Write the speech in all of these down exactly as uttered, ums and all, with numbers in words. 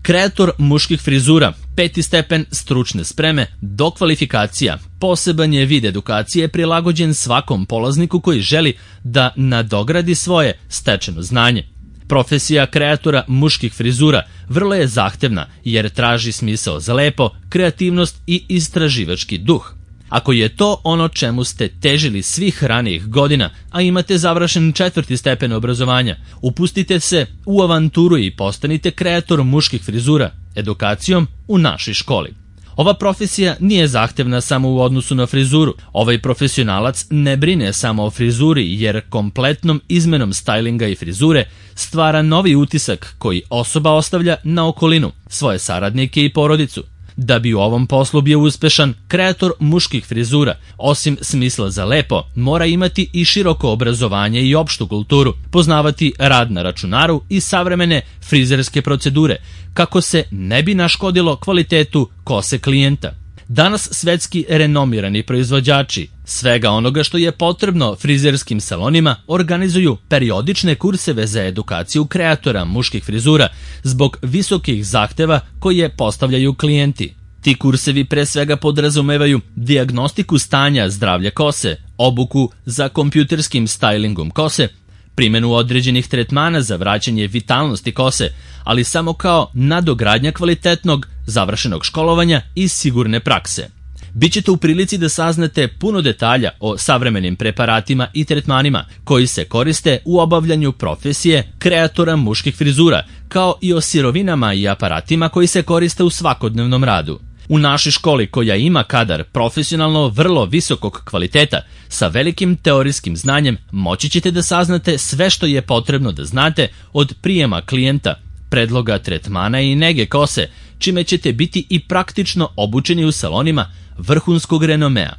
Kreator muških frizura, peti stepen stručne spreme, dokvalifikacija, poseban je vid edukacije prilagođen svakom polazniku koji želi da nadogradi svoje stečeno znanje. Profesija kreatora muških frizura vrlo je zahtevna jer traži smisao za lepo, kreativnost i istraživački duh. Ako je to ono čemu ste težili svih ranijih godina, a imate završen četvrti stepen obrazovanja, upustite se u avanturu i postanite kreator muških frizura edukacijom u našoj školi. Ova profesija nije zahtevna samo u odnosu na frizuru. Ovaj profesionalac ne brine samo o frizuri jer kompletnom izmenom stajlinga i frizure stvara novi utisak koji osoba ostavlja na okolinu, svoje saradnike i porodicu. Da bi u ovom poslu bio uspešan, kreator muških frizura, osim smisla za lepo, mora imati i široko obrazovanje i opštu kulturu, poznavati rad na računaru i savremene frizerske procedure, kako se ne bi naškodilo kvalitetu kose klijenta. Danas svetski renomirani proizvođači svega onoga što je potrebno frizerskim salonima organizuju periodične kurseve za edukaciju kreatora muških frizura zbog visokih zahteva koje postavljaju klijenti. Ti kursevi pre svega podrazumevaju dijagnostiku stanja zdravlja kose, obuku za kompjuterskim stajlingom kose, primjenu određenih tretmana za vraćanje vitalnosti kose, ali samo kao nadogradnja kvalitetnog, završenog školovanja i sigurne prakse. Bićete u prilici da saznate puno detalja o savremenim preparatima i tretmanima koji se koriste u obavljanju profesije kreatora muških frizura, kao i o sirovinama i aparatima koji se koriste u svakodnevnom radu. U našoj školi, koja ima kadar profesionalno vrlo visokog kvaliteta sa velikim teorijskim znanjem, moći ćete da saznate sve što je potrebno da znate od prijema klijenta, predloga tretmana i nege kose, čime ćete biti i praktično obučeni u salonima vrhunskog renomea.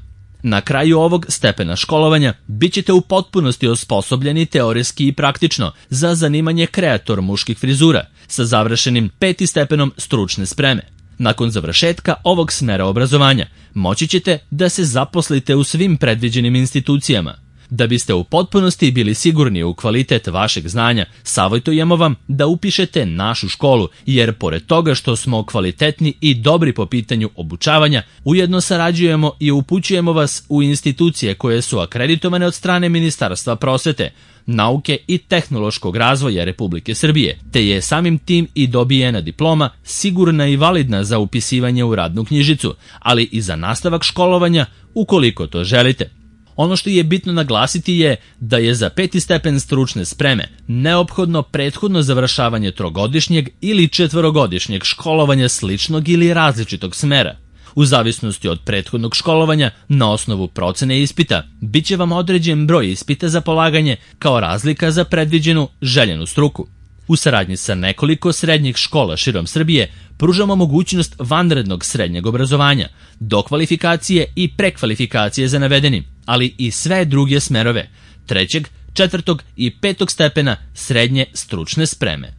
Na kraju ovog stepena školovanja bit ćete u potpunosti osposobljeni teorijski i praktično za zanimanje kreator muških frizura sa završenim peti stepenom stručne spreme. Nakon završetka ovog smera obrazovanja moći ćete da se zaposlite u svim predviđenim institucijama. Da biste u potpunosti bili sigurni u kvalitet vašeg znanja, savjetujemo vam da upišete našu školu, jer pored toga što smo kvalitetni i dobri po pitanju obučavanja, ujedno sarađujemo i upućujemo vas u institucije koje su akreditovane od strane Ministarstva prosvete, nauke i tehnološkog razvoja Republike Srbije, te je samim tim i dobijena diploma sigurna i validna za upisivanje u radnu knjižicu, ali i za nastavak školovanja ukoliko to želite. Ono što je bitno naglasiti je da je za peti stepen stručne spreme neophodno prethodno završavanje trogodišnjeg ili četvorogodišnjeg školovanja sličnog ili različitog smera. U zavisnosti od prethodnog školovanja, na osnovu procene ispita, bit će vam određen broj ispita za polaganje kao razlika za predviđenu željenu struku. U saradnji sa nekoliko srednjih škola širom Srbije pružamo mogućnost vanrednog srednjeg obrazovanja, dokvalifikacije i prekvalifikacije za navedeni, ali i sve druge smerove, trećeg, četvrtog i petog stepena srednje stručne spreme.